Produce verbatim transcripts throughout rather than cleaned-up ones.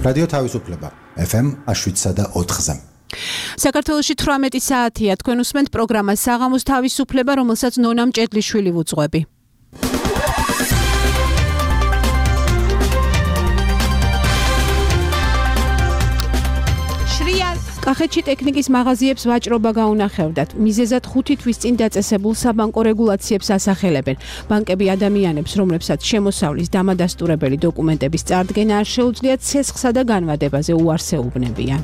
რადიო თავისუფლება ეფ ემ შვიდსა და ოთხზე. საქართველოში თვრამეტი საათია, თქვენ უსმენთ პროგრამას საღამოს თავისუფლება, რომელსაც ნონა მჭედლიშვილი ვუძღვები. კახეთში ტექნიკის მაღაზიებს ვაჭრობა გაუნახევდათ. მიზეზად ხუთი თვის წინ დაწესებულ საბანკო რეგულაციებს ასახელებენ. ბანკები ადამიანებს, რომლებსაც შემოსავლის დამადასტურებელი დოკუმენტების წარდგენა არ შეუძლიათ, ცესხსა და განვადებაზე უარს ეუბნებიან.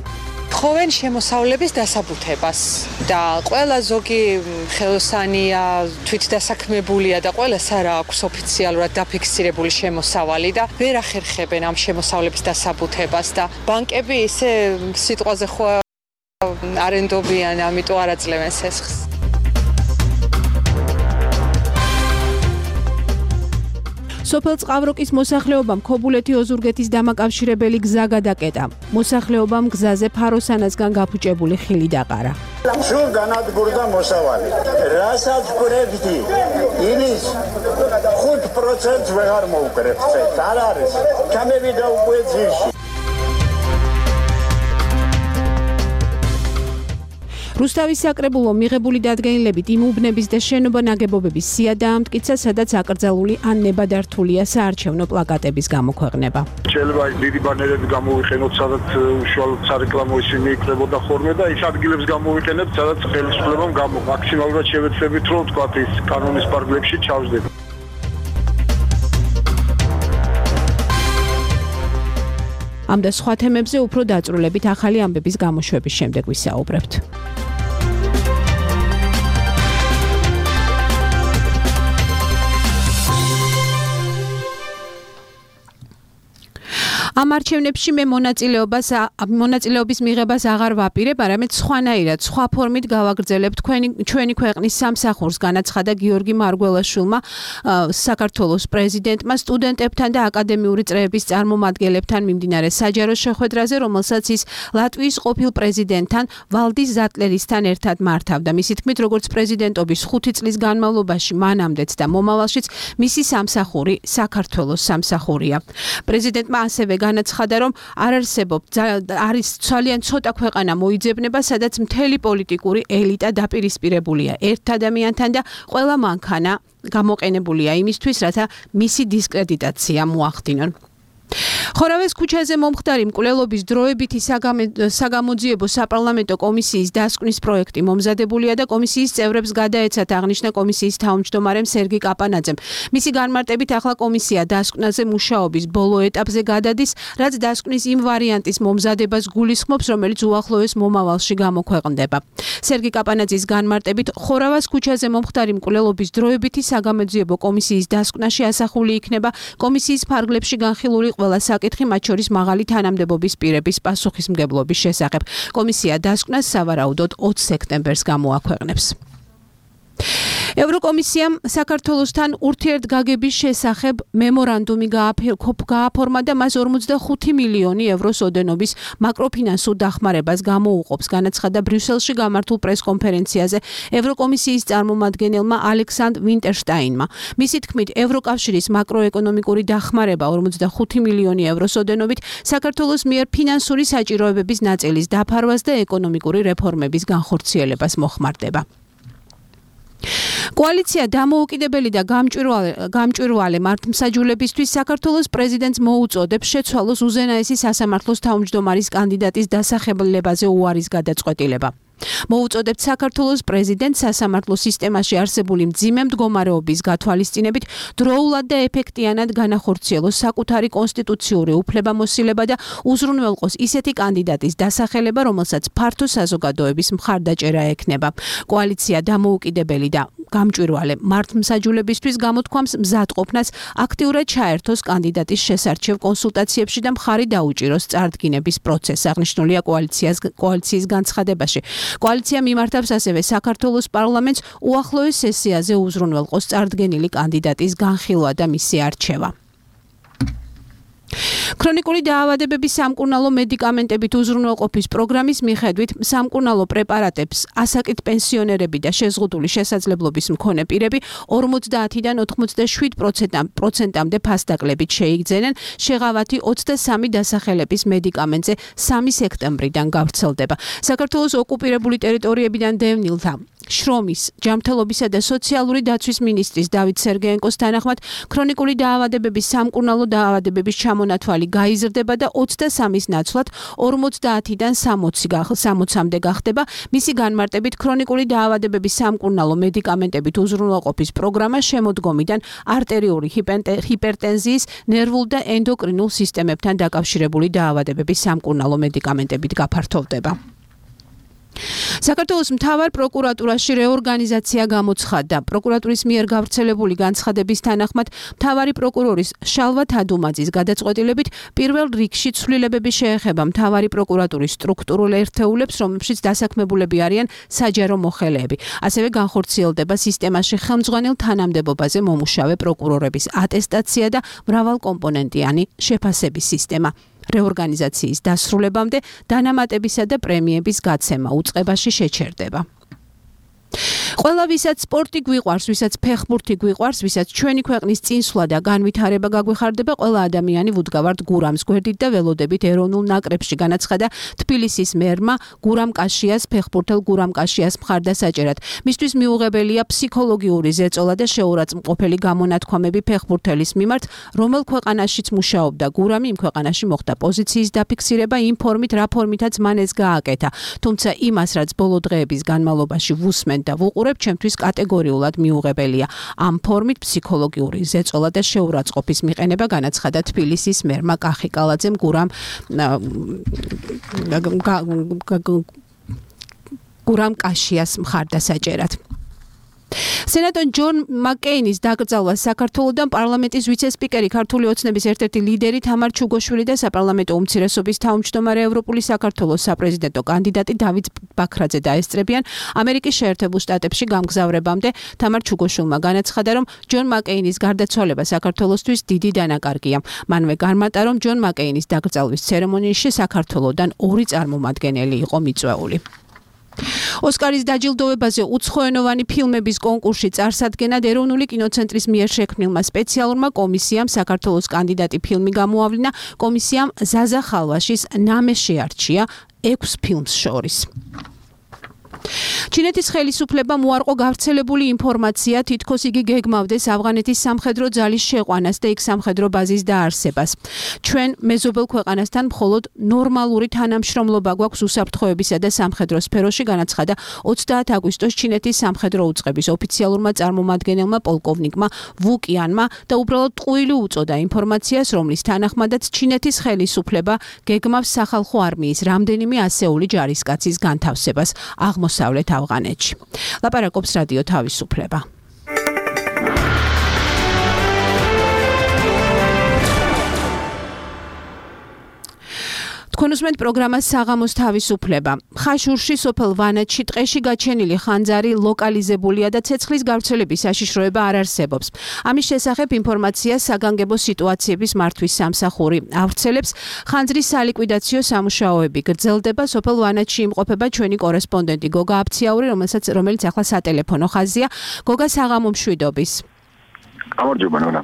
თხოვენ შემოსავლების დასაბუთებას და ყველა ზოგი ხელოსანია, თვითდასაქმებულია და ყველას არ აქვს ოფიციალურად დაფიქსირებული შემოსავალი და ვერ ახერხებენ ამ შემოსავლების დასაბუთებას და ბანკები ისე სიტყვაზე ხო არენდობიან, ამიტომ არ აძლევენ სესხს. სოფელ წყავროკის მოსახლეობამ ქობულეთი ოზურგეთის დამაკავშირებელი გზა გადაკეტა. მოსახლეობამ გზაზე ფაროსანასგან გაფუჭებული ხილი დაყარა. სულ განადგურდა მოსავალი. რასაც გვერდით, იმის ხუთ პროცენტს ვეღარ მოუკრებთ. არ არის. ჩამევიდა უკვე ძირში. რუსთავის საკრებულო მიღებული დადგენილებით იმ უბნების და შენობა ნაგებობების სია დაამტკიცა, სადაც აკრძალული ან ნებადართულია საარჩევნო პლაკატების გამოქვეყნება. შეიძლება დიდი ბანერები გამოვიყენოთ, სადაც უშუალოდ სარეკლამო ისინი იქნებოდა ხოლმე და ის ადგილებს გამოვიყენებთ, სადაც ხელისუფლებამ გამო მაქსიმალურად შევეცდებით, რომ თქვათ ის კანონის პარგლებში ჩავსდეთ. ამ და სხვა თემებზე უფრო დაწვრილებით ახალი ამბების გამოშვების შემდეგ ვისაუბრებთ. ამ არჩევნებში მე მონაწილეობას მონაწილეობის მიღებას აღარ ვაპირებ, არამედ სხვანაირად, სხვა ფორმით გავაგრძელებ თქვენი ჩვენი ქვეყნის სამსახურს, განაცხადა გიორგი მარგველაშვილმა, საქართველოს პრეზიდენტმა სტუდენტებთან და აკადემიური წრეების წარმომადგენლებთან მიმდინარე საჯარო შეხვედრაზე, რომელსაც ის ლატვიის ყოფილ პრეზიდენტთან ვალდის ზატლერისთან ერთად მართავდა. მისი თქმით, როგორც პრეზიდენტობის ხუთი წლის განმავლობაში მანამდეც და მომავალშიც მისი სამსახური საქართველოს სამსახურია. პრეზიდენტმა ასევე განაცხადა, რომ არ არსებობს არის ძალიან ცოტა ქვეყანა მოიძებნება, სადაც მთელი პოლიტიკური ელიტა დაპირისპირებულია ერთ ადამიანთან და ყველა მანქანა გამოყენებულია იმისთვის, რათა მისი დისკრედიტაცია მოახდინონ. ხორავეს ქუჩაზე მომხდარი მკვლელობის დროებითი საგამოძიებო საპარლამენტო კომისიის დასკვნის პროექტი მომზადებულია და კომისიის წევრებს გადაეცათ, აღნიშნა კომისიის თავმჯდომარემ სერგი კაპანაძემ. მისი განმარტებით ახლა კომისია დასკვნაზე მუშაობის ბოლო ეტაპზე გადადის, რაც დასკვნის იმ ვარიანტის მომზადებას გულისხმობს, რომელიც უახლოეს მომავალში გამოქვეყნდება. სერგი კაპანაძის განმარტებით ხორავას ქუჩაზე მომხდარი მკვლელობის დროებითი საგამოძიებო კომისიის დასკვნაში ასახული იქნება კომისიის ფარგლებში განხილული ყველა საკითხი, მათ შორის მაღალი თანამდებობის პირების პასუხისმგებლობის შესახებ. კომისია დასკვნას სავარაუდოდ ოც სექტემბერს გამოაქვეყნებს. ევროკომისიამ საქართველოსთან ურთიერთგაგების შესახებ მემორანდუმი გააფორმა და მას ორმოცდახუთი მილიონი ევროს ოდენობის მაკროფინანსურ დახმარებას გამოუყოფს, განაცხადა ბრიუსელში გამართულ პრესკონფერენციაზე ევროკომისიის წარმომადგენელმა ალექსანდრ ვინტერშტაინმა. მისი თქმით, ევროკავშირის მაკროეკონომიკური დახმარება ორმოცდახუთი მილიონი ევროს ოდენობით საქართველოს მიერ ფინანსური საჭიროებების ნაწილის დაფარვას და ეკონომიკური რეფორმების განხორციელებას მოხმარდება. კოალიცია დამოუკიდებელი და გამჭვირვალე მართლმსაჯულებისთვის საქართველოს პრეზიდენტს მოუწოდებს შეცვალოს უზენაესი სასამართლოს თავმჯდომარის კანდიდატის დასახელებაზე უარის გადაწყვეტილება. მოუწოდებთ საქართველოს პრეზიდენტს სასამართლო სისტემაში არსებული მძიმე მდგომარეობის გათვალისწინებით დროულად და ეფექტიანად განახორციელოს საკუთარი კონსტიტუციური უფლებამოსილება და უზრუნველყოს ისეთი კანდიდატის დასახელება, რომელსაც ფართო საზოგადოების მხარდაჭერა ექნება. კოალიცია დამოუკიდებელი და გამჭვირვალე მართლმსაჯულებისთვის გამოთქვამს მზადყოფნას აქტიურად ჩაერთოს კანდიდატის შესარჩევ კონსულტაციებში და მხარი დაუჭიროს წარდგინების პროცესს, აღნიშნულია კოალიციის განცხადებაში. კოალიცია მიმართავს ასევე საქართველოს პარლამენტს უახლოეს სესიაზე უზრუნველყოს წარდგენილი კანდიდატის განხილვა და მისი არჩევა. ქრონიკული დაავადებების სამკურნალო მედიკამენტებით უზრუნველყოფის პროგრამის მიხედვით სამკურნალო პრეპარატებს ასაკით პენსიონერები და შეზღუდული შესაძლებლობის მქონე პირები ორმოცდაათიდან ოთხმოცდაშვიდ პროცენტამდე ფასდაკლებით შეიგრძენენ. შეღავათი ოცდასამი დასახელების მედიკამენტზე სამი სექტემბრიდან გავრცელდება. საქართველოს ოკუპირებული ტერიტორიებიდან დევნილთა შრომის, ჯანმრთელობისა და სოციალური დაცვის მინისტრის დავით სერგეენკოს თანახმად ქრონიკული დაავადებების სამკურნალო დაავადებების ჩამონათვალი გაიზრდება და ოცდასამის ნაცვლად ორმოცდაათიდან სამოცამდე გახდება. მისი განმარტებით ქრონიკული დაავადებების სამკურნალო მედიკამენტებით უზრუნველყოფის პროგრამა შემოდგომიდან არტერიული ჰიპერტენზიის, ნერვულ და ენდოკრინულ სისტემებთან დაკავშირებული დაავადებების სამკურნალო მედიკამენტებით გაფართოვდება. საქართველოს მთავარ პროკურატურაში რეორგანიზაცია გამოცხადდა. პროკურატურის მიერ გავრცელებული განცხადების თანახმად მთავარი პროკურორის შალვა თადუმაძის გადაწყვეტილებით პირველ რიგში ცვლილებები შეეხება მთავარი პროკურატურის სტრუქტურულ ერთეულებს, რომლებშიც დასაქმებულები არიან საჯარო მოხელეები. ასევე განხორციელდება სისტემაში ხელმძღვანელ თანამდებობაზე მომუშავე პროკურორების ატესტაცია და მრავალკომპონენტიანი შეფასების სისტემა. რეორგანიზაციის დასრულებამდე დანამატებისა და პრემიების გაცემა უწყებაში შეჩერდება. ყველა ვისაც სპორტი გვიყვარს, ვისაც ფეხბურთი გვიყვარს, ვისაც ჩვენი ქვეყნის წინსვლა და განვითარება გაგვეხარდება, ყველა ადამიანი ვუდგავართ გურამს გვერდით და ველოდებით ეროვნულ ნაკრებში, განაცხადა თბილისის მერმა გურამ კაშიას ფეხბურთელ გურამ კაშიას მხარდასაჭერად. მისთვის მიუღებელია ფსიქოლოგიური ზეწოლა და შეურაცხმყოფელი გამონათქვამები ფეხბურთელის მიმართ, რომელ ქვეყანაშიც მუშაობდა გურამი, იმ ქვეყანაში მოხდა პოზიციის დაფიქსირება იმ ფორმით, რა ფორმითაც მან ეს გააკეთა. თუმცა იმას, რაც ბოლო დღეების განმავლობაში ვუსმენ და ვუყურებ, ჩემთვის კატეგორიულად მიუღებელია. ამ ფორმით ფსიქოლოგიური ზეწოლა და შეურაცხყოფის მიყენება, განაცხადა თბილისის მერმა კახი კალაძემ გურამ გურამ კაშიას მხარდასაჭერად. სენატორ ჯონ მაკეინის დაკრძალვა საქართველოდან პარლამენტის ვიცე-სპიკერი, ქართული ოცნების ერთ-ერთი ლიდერი თამარ ჩუგოშვილი და საპარლამენტო უმცირესობის თავმჯდომარე ევროპული საქართველოს საპრეზიდენტო კანდიდატი დავით ბაქრაძე დაესწრებიან ამერიკის შეერთებულ შტატებში გამგზავრებამდე. თამარ ჩუგოშვილმა განაცხადა, რომ ჯონ მაკეინის გარდაცვალება საქართველოსთვის დიდი დანაკარგია. მანვე განმარტა, რომ ჯონ მაკეინის დაკრძალვის ცერემონიაში საქართველოდან ორი წარმომადგენელი იყო მიწვეული. ოსკარის დაჯილდოებაზე უცხოენოვანი ფილმების კონკურსში წარსადგენად ეროვნული კინოცენტრის მიერ შექმნილმა სპეციალურმა კომისიამ საქართველოს კანდიდატი ფილმი გამოავლინა. კომისიამ ზაზა ხალვაშის ნამე შეარჩია ექვს ფილმს შორის. ჩინეთის ხელისუფლებამ უარყო გავრცელებული ინფორმაცია, თითქოს იგი გეგმავდეს ავღანეთის სამხედრო ძალის შეყვანას და იქ სამხედრო ბაზის დაარსებას. ჩვენ მეზობელ ქვეყანასთან მხოლოდ ნორმალური თანამშრომლობა გვაქვს უსაფრთხოებისა და სამხედრო სფეროში, განაცხადა ოცდაათი აგვისტოს ჩინეთის სამხედრო უწყების ოფიციალურმა წარმომადგენელმა პოლკოვნიკმა ვუ კიანმა და უბრალოდ ტყუილი უწოდა ინფორმაციას, რომლის თანახმადაც ჩინეთის ხელისუფლება გეგმავს სახალხო არმიის რამდენიმე ასეული ჯარისკაცის განთავსებას აღმოსავლეთ ავღანეთში. ლაპარაკობს რადიო თავისუფლება. თქვენ უსმენთ პროგრამას საღამოს თავისუფლება. ხაშურში სოფელ ვანაჩში ტყეში გაჩენილი ხანძარი ლოკალიზებულია და ცეცხლის გავრცელების საშიშროება არ არსებობს. ამის შესახებ ინფორმაციას საგანგებო სიტუაციების მართვის სამსახური ავრცელებს. ხანძრის სალიკვიდაციო სამუშაოები გრძელდება. სოფელ ვანაჩში იმყოფება ჩვენი კორესპონდენტი გოგა აფციაური, რომელსაც რომელიც ახლა სატელეფონო ხაზია. გოგა, საღამო მშვიდობის. გამარჯობა ნონა.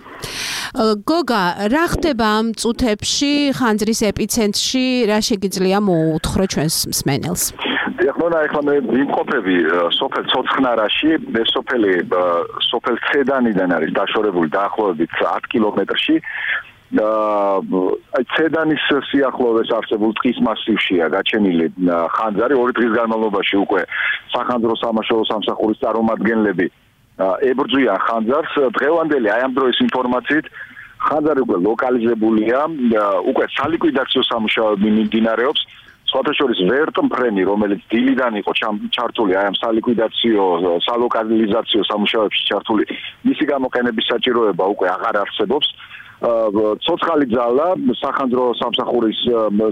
გოგა, რა ხდება ამ წუთებში ხანძრის ეპიცენტრში, რა შეგიძლია მოუთხრო ჩვენს მსმენელს? ეხლა ეხლა მე ვიმყოფები სოფელ ცოცხნარაში, ეს სოფელი სოფელ ცედანიდან არის დაშორებული დაახლოებით ათი კილომეტრში. აი ცედანის სიახლოვეს არსებულ ტყის მასივშია გაჩენილი ხანძარი. ორი დღის განმავლობაში უკვე სახანძრო სამაშველო სამსახურის წარმომადგენლები ებრძვიან ხანძარს. დღევანდელი აი ამ დროის ინფორმაციით ხანძარი უკვე ლოკალიზებულია, უკვე სალიკვიდაციო სამუშაოები მიმდინარეობს. სხვათა შორის ვერტმფრენი, რომელიც დილიდან იყო ჩართული აი ამ სალიკვიდაციო სალოკალიზაციო სამუშაოებში ჩართული, მისი გამოყენების საჭიროება უკვე აღარ არსებობს. ცოცხალი ძალა სახანძრო სამსახურის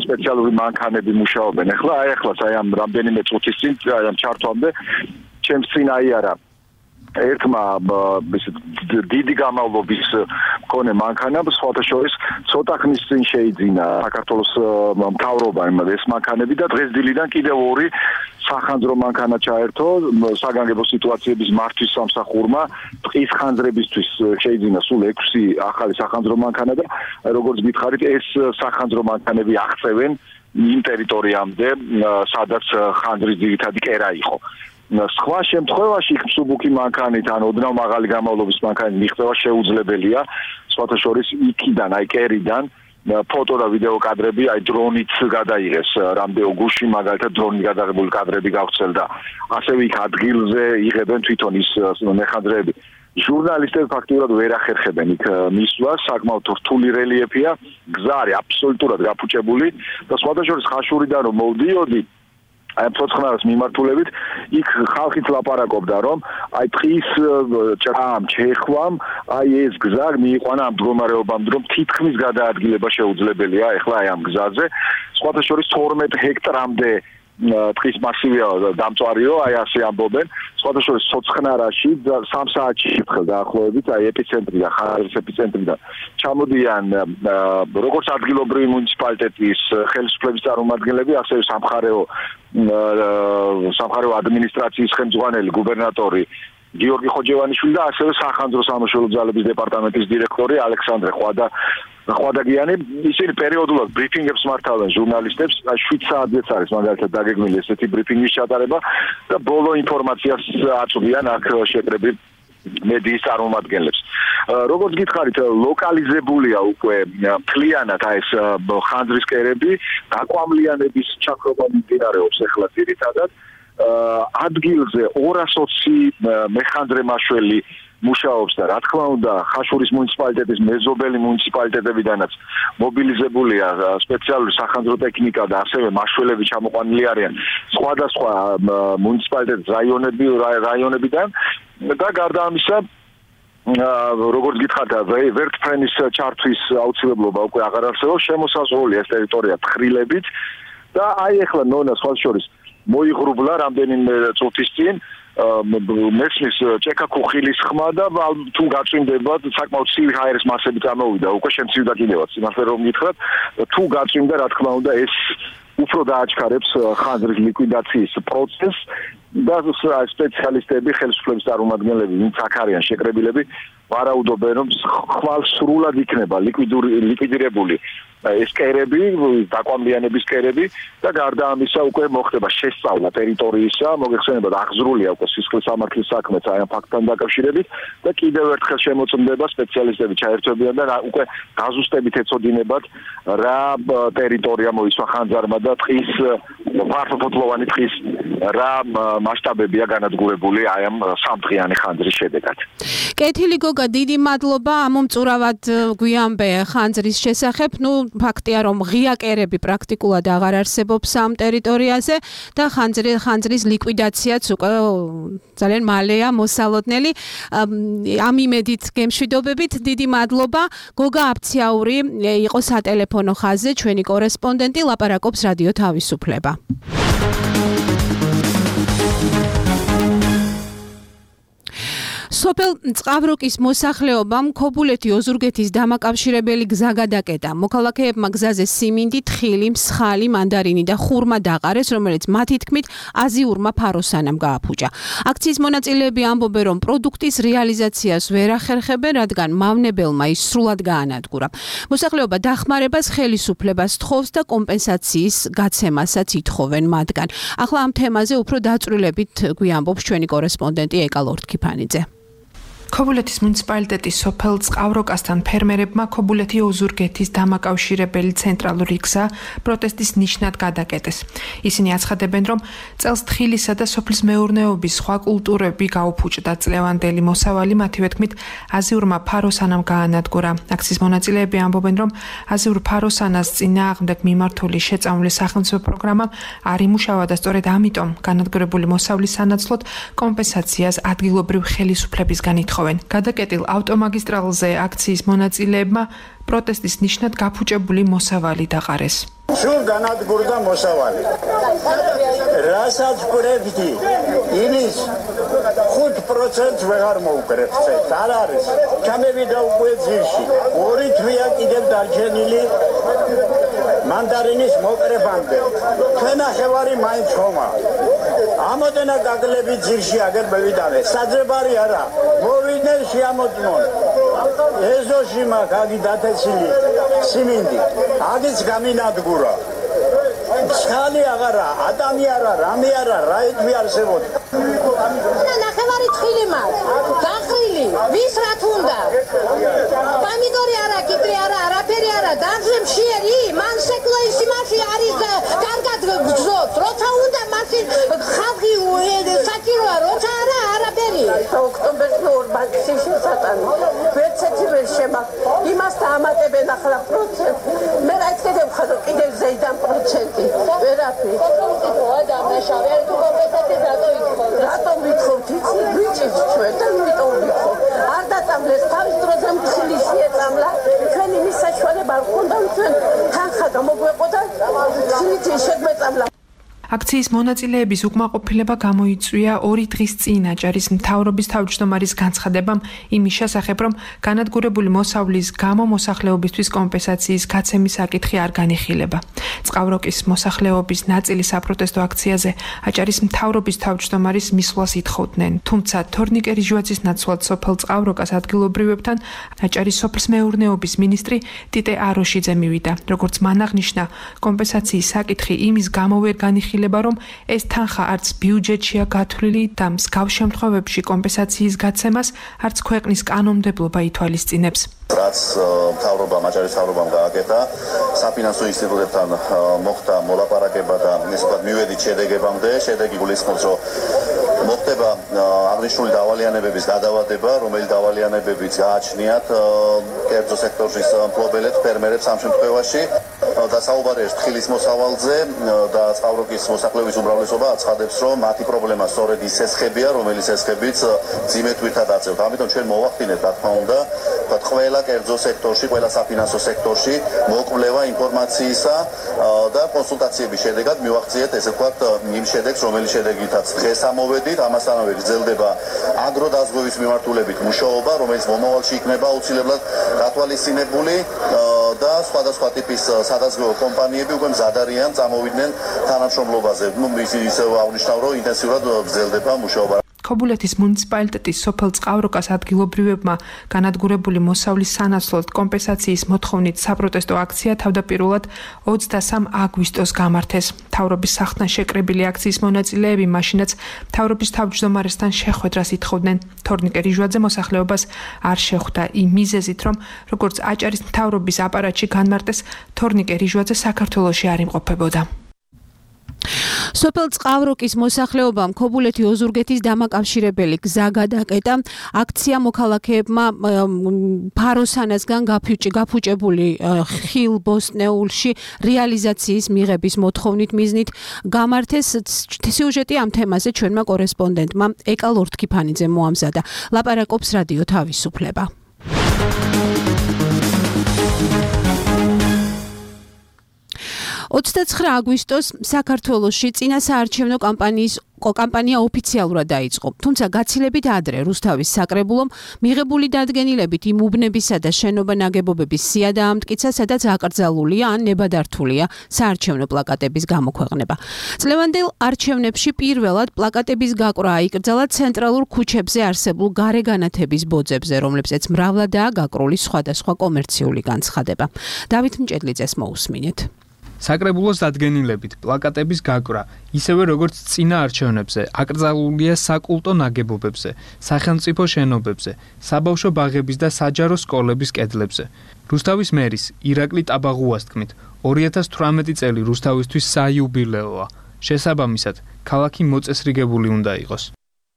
სპეციალური მანქანები მუშაობენ. ახლა აი ახლა აი ამ რამდენიმე წუთის წინ აი ამ ჩართვამდე ჩემს წინ აიარა ერთმა დიდი გამავლობის მქონე მანქანა სხვათა შორის ცოტა ხნის წინ შეიძინა საქართველოს მთავრობამ ეს მანქანები და დღეს დილიდან კიდევ ორი სახანძრო მანქანა ჩაერთო საგანგებო სიტუაციების მართვის სამსახურმა ტყის ხანძრებისთვის შეიძინა სულ ექვსი ახალი სახანძრო მანქანა და როგორც გითხარით ეს სახანძრო მანქანები აღწევენ იმ ტერიტორიამდე სადაც ხანძრის ძირითადი კერა იყო სხვა შემთხვევაში ხმსუბუქი მანქანით ან ოდნავ მაღალი გამავლობის მანქანით მიღწევა შეუძლებელია სხვათა შორის იქიდან აი კერიდან ფოტო და ვიდეო კადრები აი დრონით გადაიღეს რამდენო გუშინ მაგალითად დრონით გადაღებული კადრები გავხსენდა ასევე იქ ადგილზე იღებენ თვითონ ის მეხანძრეები ჟურნალისტები ფაქტიურად ვერ ახერხებენ იქ მისვლას საკმაოდ რთული რელიეფია გზა არის აბსოლუტურად გაფუჭებული და სხვათა შორის ხაშურიდან რომ მოვდიოდი აი ცოცხლარას მიმართულებით იქ ხალხით ლაპარაკობდა რომ აი ტყის ჭრამ ჩეხვამ აი ეს გზა მიიყვანა ამ მდგომარეობამდე რომ თითქმის გადაადგილება შეუძლებელია ახლა აი ამ გზაზე სხვათა შორის თორმეტ ჰექტრამდე ტყის მასივია დამწვარიო აი ასე ამბობენ სხვათა შორის ცოცხნარაში სამ საათში შეფხდა დაახლოებით აი ეპიცენტრიდან ხარების ეპიცენტრიდან ჩამოდიან როგორც ადგილობრივი მუნიციპალიტეტის ხელისუფლების წარმომადგენლები ასევე სამხარეო სამხარეო ადმინისტრაციის ხელმძღვანელი გუბერნატორი გიორგი ხოჯევანიშვილი და ასევე სახანძრო სამშობლო ძალების დეპარტამენტის დირექტორი ალექსანდრე ხვადა ხვადაგიანი ისინი პერიოდულად ბრიფინგებს მართავენ ჟურნალისტებს შვიდ საათზეც არის მაგალითად დაგეგმილი ესეთი ბრიფინგის ჩატარება და ბოლო ინფორმაციას აწვდიან აქ შეკრებილ მედიის წარმომადგენლებს როგორც გითხარით ლოკალიზებულია უკვე მთლიანად აი ეს ხანძრის კერები დაკვამლიანების ჩაქრობა მიმდინარეობს ახლა ძირითადად ადგილზე ორას ოცი მეხანძრე მაშველი მუშაობს და რა თქმა უნდა ხაშურის მუნიციპალიტეტის მეზობელი მუნიციპალიტეტებიდანაც მობილიზებულია სპეციალური სახანძრო ტექნიკა და ასევე მაშველები ჩამოყვანილი არიან სხვადასხვა მუნიციპალიტეტის რაიონები რაიონებიდან და გარდა ამისა როგორც გითხარით ვერტფრენის ჩართვის აუცილებლობა უკვე აღარ არსებობს შემოსაზღვრულია ეს ტერიტორია თხრილებით და აი ახლა ნონა სხვა შორის მოიღრუბლა რამდენიმე წუთის წინ მესმის ჭექა ქუხილის ხმა და თუ გაწვიმდება საკმაოდ ცივი ჰაერის მასები წამოვიდა უკვე შემცირდა კიდევაც იმასე რომ გითხრათ თუ გაწვიმდა რა თქმა უნდა ეს უფრო დააჩქარებს ხანძრის ლიკვიდაციის პროცესს და სპეციალისტები ხელისუფლების წარმომადგენლები ვინც აქ არიან შეკრებილები ვარაუდობენ რომ ხვალ სრულად იქნება ლიკვიდირებული ეს კერები დაკვამლიანების კერები და გარდა ამისა უკვე მოხდება შესწავლა ტერიტორიისა მოგეხსენებათ აღზრულია უკვე სისხლის სამართლის საქმეც აი ამ ფაქტთან დაკავშირებით და კიდევ ერთხელ შემოწმდება სპეციალისტები ჩაერთვებიან და უკვე გაზუსტებით ეცოდინებათ რა ტერიტორია მოიცვა ხანძარმა და ტყის ფართოფოთლოვანი ტყის რა მასშტაბებია განადგურებული აი ამ სამდღიანი ხანძრის შედეგად. კეთილი გოგა, დიდი მადლობა ამომწურავად გვიამბე ხანძრის შესახებ. ნუ ფაქტია რომ ღია კერები პრაქტიკულად აღარ არსებობს ამ ტერიტორიაზე და ხანძრის ხანძრის ლიკვიდაციაც უკვე ძალიან მალეა მოსალოდნელი. ამ იმედით გემშვიდობებით, დიდი მადლობა. გოგა აფციაური იყო სატელეფონო ხაზზე ჩვენი კორესპონდენტი, ლაპარაკობს რადიო თავისუფლება. სოფელ წყავროკის მოსახლეობამ ქობულეთი ოზურგეთის დამაკავშირებელი გზა გადაკეტა. მოქალაქეებმა გზაზე სიმინდი, თხილი, მსხალი, მანდარინი და ხურმა დაყარეს, რომელიც მათი თქმით აზიურმა ფაროსანამ გააფუჭა. აქციის მონაწილეები ამბობენ, რომ პროდუქტის რეალიზაციას ვერ ახერხებენ, რადგან მავნებელმა ის სრულად გაანადგურა. მოსახლეობა დახმარებას ხელისუფლებას თხოვს და კომპენსაციის გაცემასაც ითხოვენ მათგან. ახლა ამ თემაზე უფრო დაწვრილებით გვიამბობს ჩვენი კორესპონდენტი ეკა ლორთქიფანიძე. ქობულეთის მუნიციპალიტეტის სოფელ წყავროკასთან ფერმერებმა ქობულეთი ოზურგეთის დამაკავშირებელი ცენტრალური გზა პროტესტის ნიშნად გადაკეტეს. ისინი აცხადებენ, რომ წელს თხილისა და სოფლის მეურნეობის სხვა კულტურები გაუფუჭდა წლევანდელი მოსავალი, მათივე თქმით, აზიურმა ფაროსანამ გაანადგურა. აქციის მონაწილეები ამბობენ, რომ აზიურ ფაროსანას წინააღმდეგ მიმართული შეწამული სახელმწიფო პროგრამა არ იმუშავა და სწორედ ამიტომ განადგურებული მოსავლის სანაცვლოდ კომპენსაციას ადგილობრივ ხელისუფლებისგან ითხოვენ. ითხოვენ. გადაკეტილ ავტომაგისტრალზე აქციის მონაწილეებმა პროტესტის ნიშნად გაფუჭებული მოსავალი დაყარეს. სულ განადგურდა მოსავალი. რასაც გვერდით იმის ხუთ პროცენტს ვეღარ მოუკრებთ. არ არის. ჩამევიდა უკვე ძირში. ორი თვეა კიდევ დარჩენილი მანდარინის მოკრებამდე. ჩვენახევარი მაინც ხომა. ამოდენა გაგლები ძირში აგერ მევიდანე. საძებარი არა. მოვიდნენ შეამოწმონ. ეზოში მაქვს აგი დათესილი სიმინდი. აგიც გამინადგურა. ხალი აღარა, ადამი არა, რამე არა, რაითვი არსებობ. ნახევარი თხილი მაქვს. გაყრილი, ვის რა თუნდა? პამიდორი არა, კიტრი არა, არაფერი არა, დანზე მშიერი, მან სეკლო ისი მასი არის კარგად გძოთ. როცა უნდა მასი ხალხი საჭიროა, როცა არა, არაფერი. ოქტომბერს ნორმალში შესატანი. ვერცეთი ვერ შემა. იმას დაამატებენ ახლა პროცენტ. მე რა იცოდე ხარო კიდევ ზეიდან პროცენტი. ვერაფერი. ოქტომბერია და მაშავე არ თუ კომპენსაცია რატო ითხოვთ? რატო ვითხოვთ? ვიჭირთ ჩვენ და იმიტომ ვითხოვთ. არ დაწამლეს თავის დროზე მთლი შეწამლა. ჩვენ იმის საშუალება არ ქონდა ჩვენ თანხა გამოგვეყოდა. თვით შეგვეწამლა. აქციის მონაწილეების უკმაყოფილება გამოიწვია ორი დღის წინ აჭარის მთავრობის თავმჯდომარის განცხადებამ იმის შესახებ, რომ განადგურებული მოსავლის გამო მოსახლეობისთვის კომპენსაციის გაცემის საკითხი არ განიხილება. წყავროკის მოსახლეობის ნაწილი საპროტესტო აქციაზე აჭარის მთავრობის თავმჯდომარის მისვლას ითხოვდნენ, თუმცა თორნიკე რიჟვაძის ნაცვლად სოფელ წყავროკას ადგილობრივებთან აჭარის სოფლმეურნეობის მინისტრი ტიტე აროშიძე მივიდა. როგორც მან აღნიშნა, კომპენსაციის საკითხი იმის გამო ვერ განიხილება, რომ ეს თანხა არც ბიუჯეტშია გათვლილი და მსგავს შემთხვევებში კომპენსაციის გაცემას არც ქვეყნის კანონმდებლობა ითვალისწინებს. რაც მთავრობამ, აჭარის მთავრობამ გააკეთა, საფინანსო ინსტიტუტებთან მოხდა მოლაპარაკება და ესე ვთქვათ, მივედით შედეგებამდე. შედეგი გულისხმობს, რომ მოხდება აღნიშნული დავალიანებების გადავადება, რომელიც დავალიანებებიც გააჩნიათ კერძო სექტორის მფლობელებს, ფერმერებს ამ შემთხვევაში. და საუბარია თხილის მოსავალზე და წყავროკის მოსახლეობის უმრავლესობა აცხადებს, რომ მათი პრობლემა სწორედ ის სესხებია, რომელიც სესხებიც ძიმე თვირთად აწევთ. ამიტომ ჩვენ მოვახდინეთ, რა თქმა უნდა, ყველა კერძო სექტორში, ყველა საფინანსო სექტორში მოკვლევა ინფორმაციისა და კონსულტაციების შედეგად მივახციეთ, ესე ვთქვათ, იმ შედეგს, რომელიც შედეგითაც დღეს ამოვედით, ამასთანავე გრძელდება აგროდაზღვევის მიმართულებით მუშაობა, რომელიც მომავალში იქნება აუცილებლად გათვალისწინებული და სხვადასხვა ტიპის სადაზღვევო კომპანიები უკვე მზად არიან წამოვიდნენ თანამშრომლობაზე. ნუ ისე აღნიშნავ, რომ ინტენსიურად გრძელდება მუშაობა. ქობულეთის მუნიციპალიტეტის სოფელ წყავროკას ადგილობრივებმა განადგურებული მოსავლის სანაცვლოდ კომპენსაციის მოთხოვნით საპროტესტო აქცია თავდაპირველად ოცდასამ აგვისტოს გამართეს. მთავრობის სახლთან შეკრებილი აქციის მონაწილეები მაშინაც მთავრობის თავმჯდომარესთან შეხვედრას ითხოვდნენ. თორნიკე რიჟვაძე მოსახლეობას არ შეხვდა იმ მიზეზით, რომ როგორც აჭარის მთავრობის აპარატში განმარტეს, თორნიკე რიჟვაძე საქართველოში არ იმყოფებოდა. სოფელ წყავროკის მოსახლეობამ ქობულეთი ოზურგეთის დამაკავშირებელი გზა გადაკეტა. აქცია მოქალაქეებმა ფაროსანასგან გაფუჭებული ხილ ბოსტნეულში რეალიზაციის მიღების მოთხოვნით მიზნით გამართეს. სიუჟეტი ამ თემაზე ჩვენმა კორესპონდენტმა ეკა ლორთქიფანიძემ მოამზადა. ლაპარაკობს რადიო თავისუფლება. ოცდაცხრა აგვისტოს საქართველოში წინა საარჩევნო კამპანიის კამპანია ოფიციალურად დაიწყო. თუმცა გაცილებით ადრე რუსთავის საკრებულომ მიღებული დადგენილებით იმ უბნებისა და შენობა ნაგებობების სია დაამტკიცა, სადაც აკრძალულია ან ნებადართულია საარჩევნო პლაკატების გამოქვეყნება. წლევანდელ არჩევნებში პირველად პლაკატების გაკვრა აიკრძალა ცენტრალურ ქუჩებზე არსებულ გარეგანათების ბოძებზე, რომლებზეც მრავლადაა გაკრული სხვადასხვა კომერციული განცხადება. დავით მჭედლიძეს მოусმინეთ. საკრებულოს დადგენილებით პლაკატების გაკვრა, ისევე როგორც წინა არჩევნებზე, აკრძალულია საკულტო ნაგებობებზე, სახელმწიფო შენობებზე, საბავშვო ბაღების და საჯარო სკოლების კედლებზე. რუსთავის მერის ირაკლი ტაბაღუას თქმით, ორი ათას თვრამეტი წელი რუსთავისთვის საიუბილეოა. შესაბამისად, ქალაქი მოწესრიგებული უნდა იყოს.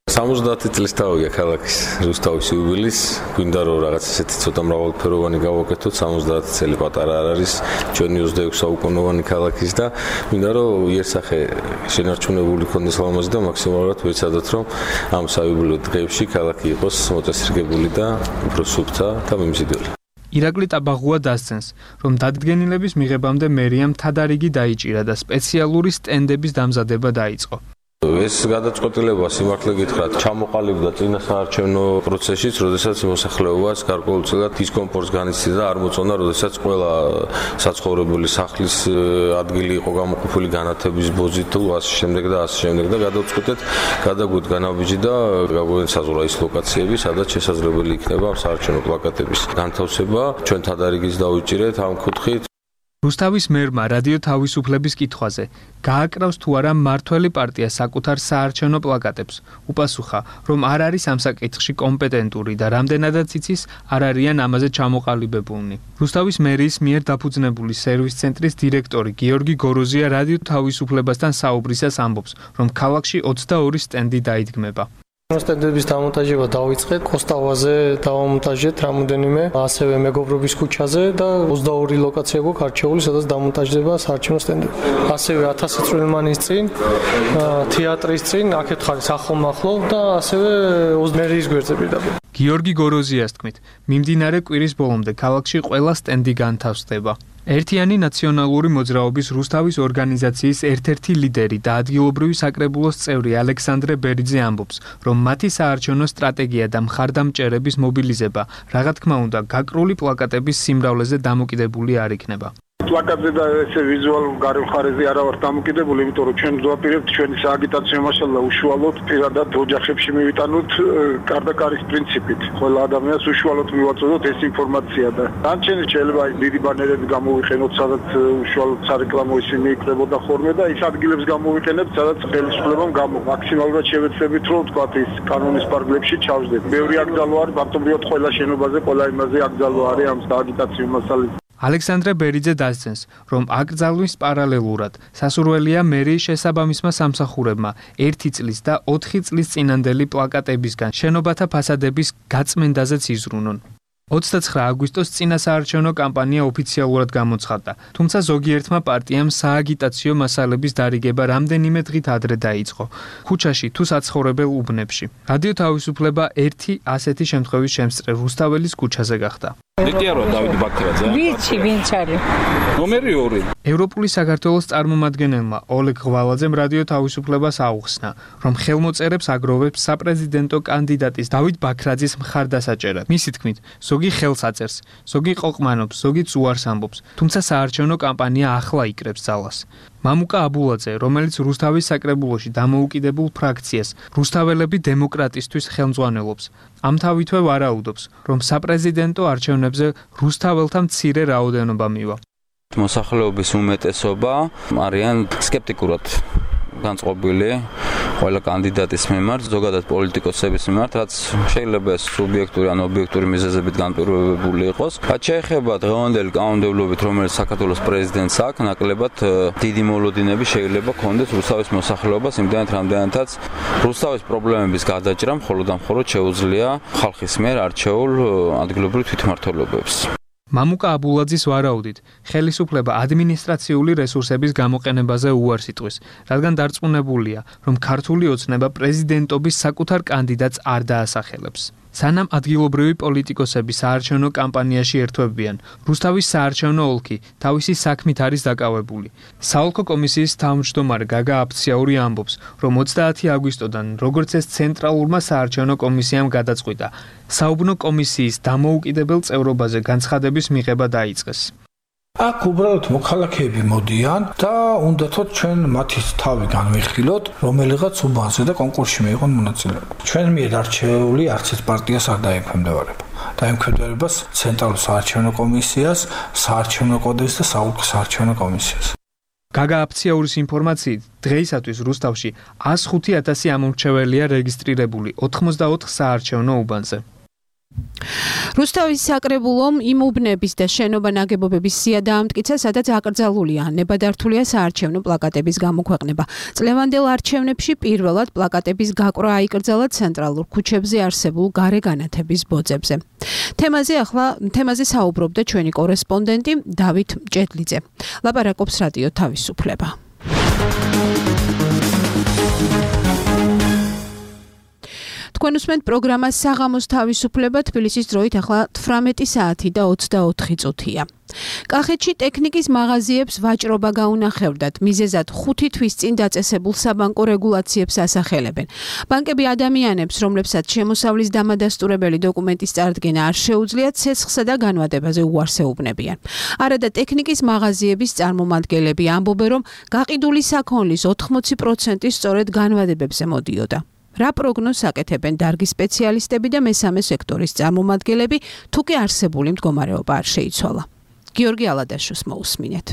სამოცდაათი წლის თავია ქალაქის რუსთავის იუბილეს, გვინდა რომ რაღაც ესეთი ცოტა მრავალფეროვანი გავაკეთოთ, სამოცდაათი წელი პატარა არ არის ჩვენი ოცდაექვსი საუკუნოვანი ქალაქის და გვინდა რომ იერსახე შენარჩუნებული ქონდეს ლამაზი და მაქსიმალურად ვეცადოთ რომ ამ საიუბილეო დღეებში ქალაქი იყოს მოწესრიგებული და უფრო სუფთა და მიმზიდველი. ირაკლი ტაბაღუა დასცენს, რომ დადგენილების მიღებამდე მერიამ თადარიგი დაიჭირა და სპეციალური სტენდების დამზადება დაიწყო. ეს გადაწყვეტილება სიმართლე გითხრათ ჩამოყალიბდა წინა საარჩევნო პროცესშიც, როდესაც მოსახლეობას გარკვეულწილად დისკომფორტს განიცდიდა და არ მოწონა, როდესაც ყველა საცხოვრებელი სახლის ადგილი იყო გამოყოფილი განათების ბოზით თუ ასე შემდეგ და ასე შემდეგ და გადავწყვეტეთ გადაგვით განაბიჯი და გაგვენსაზღვრა ის ლოკაციები, სადაც შესაძლებელი იქნება საარჩევნო პლაკატების განთავსება. ჩვენ თადარიგის დავიჭირეთ ამ კუთხით. რუსთავის მერმა რადიო თავისუფლების კითხვაზე გააკრავს თუ არა მმართველი პარტია საკუთარ საარჩევნო პლაკატებს, უპასუხა, რომ არ არის ამ საკითხში კომპეტენტური და რამდენადაც იცის, არ არიან ამაზე ჩამოყალიბებულნი. რუსთავის მერიის მიერ დაფუძნებული სერვის ცენტრის დირექტორი გიორგი გოროზია რადიო თავისუფლებასთან საუბრისას ამბობს, რომ ქალაქში ოცდაორი სტენდი დაიდგმება. სტენდების დამონტაჟება დავიწყეთ, კოსტავაზე დავამონტაჟეთ რამოდენიმე, ასევე მეგობრობის ქუჩაზე და ოცდაორი ლოკაცია გვაქვს არჩეული, სადაც დამონტაჟდება საარჩევნო სტენდები. ასევე ათასი წვრილმანის წინ, თეატრის წინ, აქეთ ხარის ახლო-ახლო და ასევე მერიის გვერდზე პირდაპირ. გიორგი გოროზიას თქმით, მიმდინარე კვირის ბოლომდე ქალაქში ყველა სტენდი განთავსდება. ერთიანი ნაციონალური მოძრაობის რუსთავის ორგანიზაციის ერთ-ერთი ლიდერი და ადგილობრივი საკრებულოს წევრი ალექსანდრე ბერიძე ამბობს, რომ მათი საარჩევნო სტრატეგია და მხარდამჭერების მობილიზება, რა თქმა უნდა, გაკრული პლაკატების სიმრავლეზე დამოკიდებული არ იქნება. პლაკატზე და ესე ვიზუალურ გარეულ მხარეზე არა ვართ დამოკიდებული, იმიტომ რომ ჩვენ ვაპირებთ ჩვენი სააგიტაციო მასალა უშუალოდ პირადად ოჯახებში მივიტანოთ კარდაკარის პრინციპით. ყველა ადამიანს უშუალოდ მივაწოდოთ ეს ინფორმაცია და განჩენი შეიძლება დიდი ბანერები გამოვიყენოთ, სადაც უშუალოდ სარეკლამო ისინი იქნებოდა ხოლმე და ის ადგილებს გამოვიყენებთ, სადაც ხელისუფლებამ გამო მაქსიმალურად შევეცდებით, რომ თქვათ ის კანონის პარგლებში ჩავждეთ. ბევრი აკრძალვა არის, მარტივად ყველა შენობაზე, ყველა იმაზე აკრძალვა არის ამ სააგიტაციო მასალის. ალექსანდრე ბერიძე დასცენს, რომ აკრძალვის პარალელურად სასურველია მერიის შესაბამისმა სამსახურებმა ერთი წლის და ოთხი წლის წინანდელი პლაკატებისგან შენობათა ფასადების გაწმენდაზეც იზრუნონ. ოცდაცხრა აგვისტოს წინა საარჩევნო კამპანია ოფიციალურად გამოცხადდა, თუმცა ზოგიერთმა პარტიამ სააგიტაციო მასალების დარიგება რამდენიმე დღით ადრე დაიწყო, ქუჩაში თუ საცხოვრებელ უბნებში. რადიო თავისუფლება ერთი ასეთი შემთხვევის შემსწრე რუსთაველის ქუჩაზე გახდა. დეტიარო დავით ბაქრაძე. ვიცი, ვინც არის? ნომერი ორი. ევროპული საქართველოს წარმომადგენელმა ოლეგ ღვალაძემ რადიო თავისუფლებას აუხსნა, რომ ხელმოწერებს აგროვებს საპრეზიდენტო კანდიდატის დავით ბაქრაძის მხარდასაჭერად. მისი თქმით, ზოგი ხელს აწერს, ზოგი ყოყმანობს, ზოგიც უარს ამბობს, თუმცა საარჩევნო კამპანია ახლა იკრებს ძალას. მამუკა აბულაძე, რომელიც რუსთავის საკრებულოში დამოუკიდებულ ფრაქციას რუსთაველები დემოკრატისთვის ხელმძღვანელობს, ამთავითვე ვარაუდობს, რომ საპრეზიდენტო არჩევნებზე რუსთაველთა მცირე რაოდენობა მივა. მოსახლეობის უმეტესობა არიან სკეპტიკურად განწყობილი ყველა კანდიდატის მიმართ, ზოგადად პოლიტიკოსების მიმართ, რაც შეიძლება სუბიექტური ან ობიექტური მიზეზებით განპირობებული იყოს. რაც შეეხება დღევანდელი კანონმდებლობით, რომელიც საქართველოს პრეზიდენტს აქვს, ნაკლებად დიდი მოლოდინები შეიძლება ქონდეს რუსთავის მოსახლეობას, იმდენად რამდენადაც რუსთავის პრობლემების გადაჭრა მხოლოდ და მხოლოდ შეუძლია ხალხის მიერ არჩეულ ადგილობრივ თვითმმართველობებს. მამუკა აბულაძის ვარაუდით, ხელისუფლება ადმინისტრაციული რესურსების გამოყენებაზე უარს იტყვის, რადგან დარწმუნებულია, რომ ქართული ოცნება პრეზიდენტობის საკუთარ კანდიდატს არ დაასახელებს. სანამ ადგილობრივი პოლიტიკოსები საარჩევნო კამპანიაში ერთვებიან, რუსთავის საარჩევნო ოლქი თავისი საქმით არის დაკავებული. საოლქო კომისიის თავმჯდომარე გაგა აფციაური ამბობს, რომ ოცდაათი აგვისტოდან, როგორც ეს ცენტრალურმა საარჩევნო კომისიამ გადაწყვიტა, საუბნო კომისიის დამოუკიდებელ წევრობაზე განცხადების მიღება დაიწყეს. აქ უბრალოდ მოქალაქეები მოდიან და უნდათოდ ჩვენ მათი თავი განვიხილოთ, რომელიღაც უბანზე და კონკურსში მიიღონ მონაწილეობა. ჩვენ მიერ არჩეული არც ერთ პარტიას არ დაემქვემდებარება. დაემქვემდებარება ცენტრალურ საარჩევნო კომისიას, საარჩევნო კოდექსს და საოლქო საარჩევნო კომისიას. გაგა აფციაურის ინფორმაციით, დღეისათვის რუსთავში ასი ათასი ამომრჩეველია რეგისტრირებული ოთხმოცდაოთხ საარჩევნო უბანზე. რუსთავის საკრებულომ იმუბნების და შენობა ნაგებობების სია დაამტკიცა, სადაც აკრძალულია ნებადართულია საარჩევნო პლაკატების გამოქვეყნება. წლევანდელ არჩევნებში პირველად პლაკატების გაკვრა აიკრძალა ცენტრალურ ქუჩებზე არსებულ გარეგანათების ბოძებზე. თემაზე ახლა თემაზე საუბრობდა ჩვენი კორესპონდენტი დავით ჭედლიძე. ლაპარაკობს რადიო თავისუფლება. თქვენ უსმენთ პროგრამას საღამოს თავისუფლება, თბილისის დროით ახლა თვრამეტი საათი და ოცდაოთხი წუთია. კახეთში ტექნიკის მაღაზიებს ვაჭრობა გაუნახევრდათ, მიზეზად ხუთი თვის წინ დაწესებულ საბანკო რეგულაციებს ასახელებენ. ბანკები ადამიანებს, რომლებსაც შემოსავლის დამადასტურებელი დოკუმენტის წარდგენა არ შეუძლიათ, ცეცხლსა და განვადებაზე უარს ეუბნებიან. არადა ტექნიკის მაღაზიების წარმომადგენლები ამბობენ, რომ გაყიდული საქონლის ოთხმოცი პროცენტი სწორედ განვადებებზე მოდიოდა. რა პროგნოზს აკეთებენ დარგის სპეციალისტები და მესამე სექტორის წარმომადგენლები, თუ კი არსებული მდგომარეობა არ შეიცვალა. გიორგი ალადაშოს მოусმინეთ.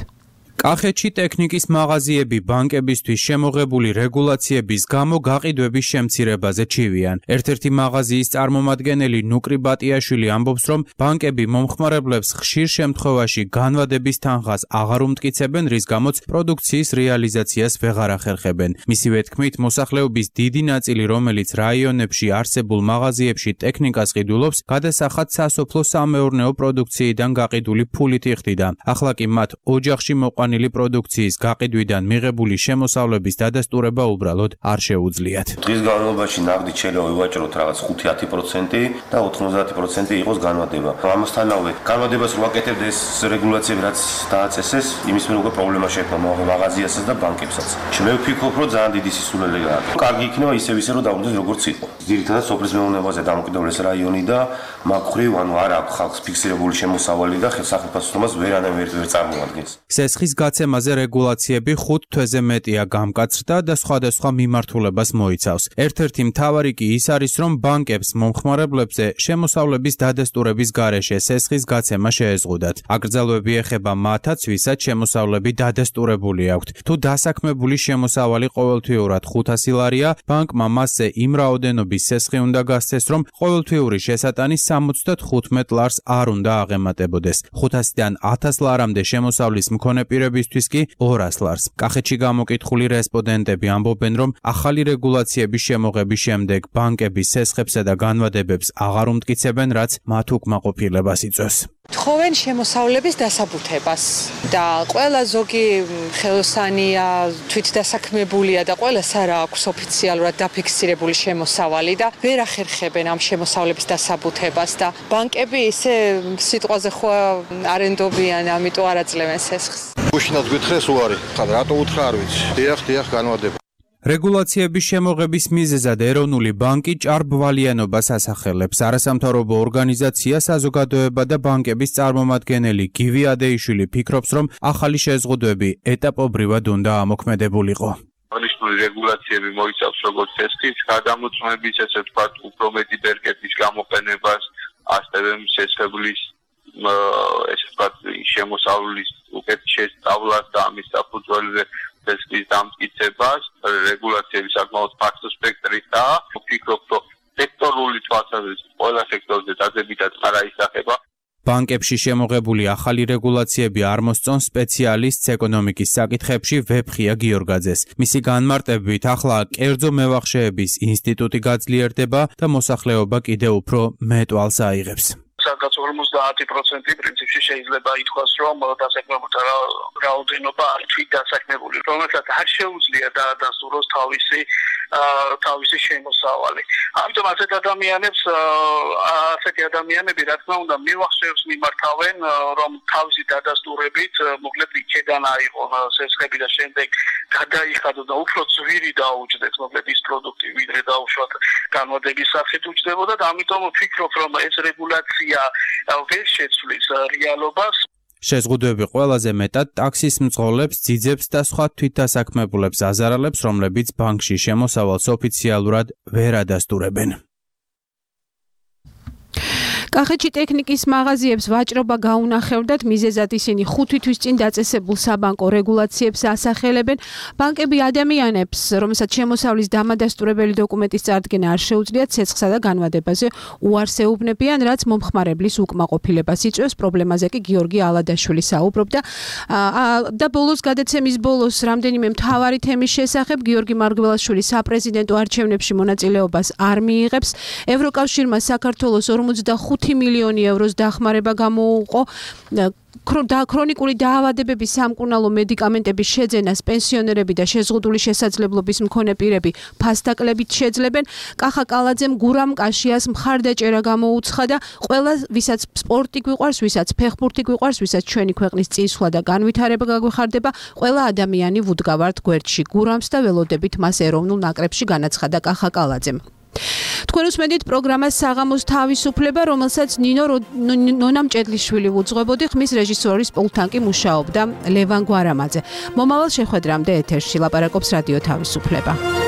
კახეთში ტექნიკის მაღაზიები ბანკებისთვის შემოღებული რეგულაციების გამო გაყიდვების შემცირებაზე ჩივიან. ერთ-ერთი მაღაზიის წარმომადგენელი ნუკრი ბატიაშვილი ამბობს, რომ ბანკები მომხმარებლებს ხშირ შემთხვევაში განვადების თანხას აღარ უმტკიცებენ, რის გამოც პროდუქციის რეალიზაციას ვეღარ ახერხებენ. მისივე თქმით, მოსახლეობის დიდი ნაწილი, რომელიც რაიონებში არსებულ მაღაზიებში ტექნიკას ყიდულობს, გადასახად სასოფლო-სამეურნეო პროდუქციიდან გაყიდული ფულით იხდიდა. ახლა კი მათ ოჯახში მოყვანილი პროდუქციის გაყიდვიდან მიღებული შემოსავლების დადასტურება უბრალოდ არ შეუძლიათ. დღის განმავლობაში ნაღდით შეიძლება ვივაჭროთ რაღაც ხუთი ათი პროცენტი და ოთხმოცდაათი პროცენტი იყოს განვადება. ამასთანავე განვადებას რო აკეთებთ ეს რეგულაციები რაც დააწესეს, იმის მიერ უკვე პრობლემა შეექმნა მაღაზიასაც და ბანკებსაც. მე ვფიქრობ, რომ ძალიან დიდი სისულელე გააკეთა. კარგი იქნება ისევ ისე რომ დავუდგეს როგორც იყო. ძირითადად სოფლის მეურნეობაზე დამოკიდებული რაიონი და მაგხრივ ანუ არ აქვს ხალხს ფიქსირებული შემოსავალი და სახელმწიფოს ვერანაირ ვერ წარმოადგენს. სესხის გაცემაზე რეგულაციები ხუთ თვეზე მეტია გამკაცრდა და სხვადასხვა მიმართულებას მოიცავს. ერთ-ერთი მთავარი კი ის არის, რომ ბანკებს მომხმარებლებზე შემოსავლების დადასტურების გარეშე სესხის გაცემა შეეზღუდათ. აკრძალვები ეხება მათაც, ვისაც შემოსავლები დადასტურებული აქვთ. თუ დასაქმებული შემოსავალი ყოველთვიურად ხუთასი ლარია, ბანკმა მასზე იმ რაოდენობის სესხი უნდა გასცეს, რომ ყოველთვიური შესატანი სამოცდახუთ ლარს არ უნდა აღემატებოდეს. ხუთასიდან ათას ლარამდე შემოსავლის მქონე პირებისთვის კი ორას ლარს. კახეთში გამოკითხული რესპონდენტები ამბობენ, რომ ახალი რეგულაციების შემოღების შემდეგ ბანკები სესხებსა და განვადებებს აღარ უმტკიცებენ, რაც მათ უკმაყოფილებას იწვევს. თხოვენ შემოსავლების დასაბუთებას და ყველა ზოგი ხელოსანია, თვითდასაქმებულია და ყველას არ აქვს ოფიციალურად დაფიქსირებული შემოსავალი და ვერ ახერხებენ ამ შემოსავლების დასაბუთებას და ბანკები ისე სიტყვაზე ხო არენდობიან, ამიტომ არ აძლევენ სესხს. უშინაც გითხრეს უარი, ხა რატო უთხრა არ ვიცი. დიახ, დიახ, განვადება. რეგულაციების შემოღების მიზეზად ეროვნული ბანკი ჭარბვალიანობას ასახელებს. არასამთავრობო ორგანიზაცია საზოგადოება და ბანკების წარმომადგენელი გივი ადეიშვილი ფიქრობს, რომ ახალი შეზღუდვები ეტაპობრივად უნდა ამოქმედებულიყო. აღნიშნული რეგულაციები მოიცავს როგორც სესხის გადამოწმების, ესე ვთქვათ, უფრო მეტი ბერკეტის გამოყენებას, ასევე სესხებლის ესე ვთქვათ, შემოსავლის უკეთ შესწავლას და ამის საფუძველზე სესხის დამტკიცებას. რეგულაციები საკმაოდ ფართო სპექტრისაა. ვფიქრობ, რომ სექტორული თვალსაზრისით ყველა სექტორზე დადებითად არ აისახება. ბანკებში შემოღებული ახალი რეგულაციები არ მოსწონს სპეციალისტს ეკონომიკის საკითხებში ვეფხია გიორგაძეს. მისი განმარტებით, ახლა კერძო მევახშეების ინსტიტუტი გაძლიერდება და მოსახლეობა კიდევ უფრო მეტვალს აიღებს. სადაც ორმოცდაათი პროცენტი პრინციპში შეიძლება ითქვას, რომ დასაქმებულთა რაოდენობა არ თვით დასაქმებული, რომელსაც არ შეუძლია დაადასტუროს თავისი თავისი შემოსავალი. ამიტომ ასეთ ადამიანებს ასეთი ადამიანები რა თქმა უნდა მივახშევს მიმართავენ, რომ თავისი დადასტურებით მოკლედ იქედან აიღონ სესხები და შემდეგ გადაიხადო და უფრო ძვირი დაუჯდეთ მოკლედ ის პროდუქტი, ვიდრე დაუშვათ განვადების სახით უჯდებოდა და ამიტომ ვფიქრობ, რომ ეს რეგულაცია ვერ შეცვლის რეალობას. შეზღუდვები ყველაზე მეტად ტაქსის მძღოლებს, ძიძებს და სხვა თვითდასაქმებულებს აზარალებს, რომლებიც ბანკში შემოსავალს ოფიციალურად ვერ ადასტურებენ. კახეთში ტექნიკის მაღაზიებს ვაჭრობა გაუნახევრდათ, მიზეზად ისინი ხუთი თვის წინ დაწესებულ საბანკო რეგულაციებს ასახელებენ. ბანკები ადამიანებს, რომელსაც შემოსავლის დამადასტურებელი დოკუმენტის წარდგენა არ შეუძლიათ, ცეცხლსა და განვადებაზე უარს ეუბნებიან, რაც მომხმარებლის უკმაყოფილებას იწვევს. პრობლემაზე კი გიორგი ალადაშვილი საუბრობდა. და ბოლოს გადაცემის ბოლოს რამდენიმე მთავარი თემის შესახებ გიორგი მარგველაშვილი საპრეზიდენტო არჩევნებში მონაწილეობას არ მიიღებს. ევროკავშირმა საქართველოს ორმოცდახუთი მილიონი ევროს დახმარება გამოუყო. ქრონიკული დაავადებების სამკურნალო მედიკამენტების შეძენას პენსიონერები და შეზღუდული შესაძლებლობის მქონე პირები ფასდაკლებით შეძლებენ. კახა კალაძემ გურამ კაშიას მხარდაჭერა გამოუცხადა. ყველა ვისაც სპორტი გვიყვარს, ვისაც ფეხბურთი გვიყვარს, ვისაც ჩვენი ქვეყნის წინსვლა და განვითარება გაგვეხარდება, ყველა ადამიანი ვუდგავართ გვერდში. გურამს და ველოდებით მას ეროვნულ ნაკრებში განაცხადა კახა კალაძემ. თქვენ უსმენთ პროგრამას საღამოს თავისუფლება, რომელსაც ნინო ნონამ ჭედლიშვილი უძღვებოდი, ხმის რეჟისორის პულტთან კი მუშაობდა ლევან გვარამაძე. მომავალ შეხვედრამდე ეთერში ლაპარაკობს რადიო თავისუფლება.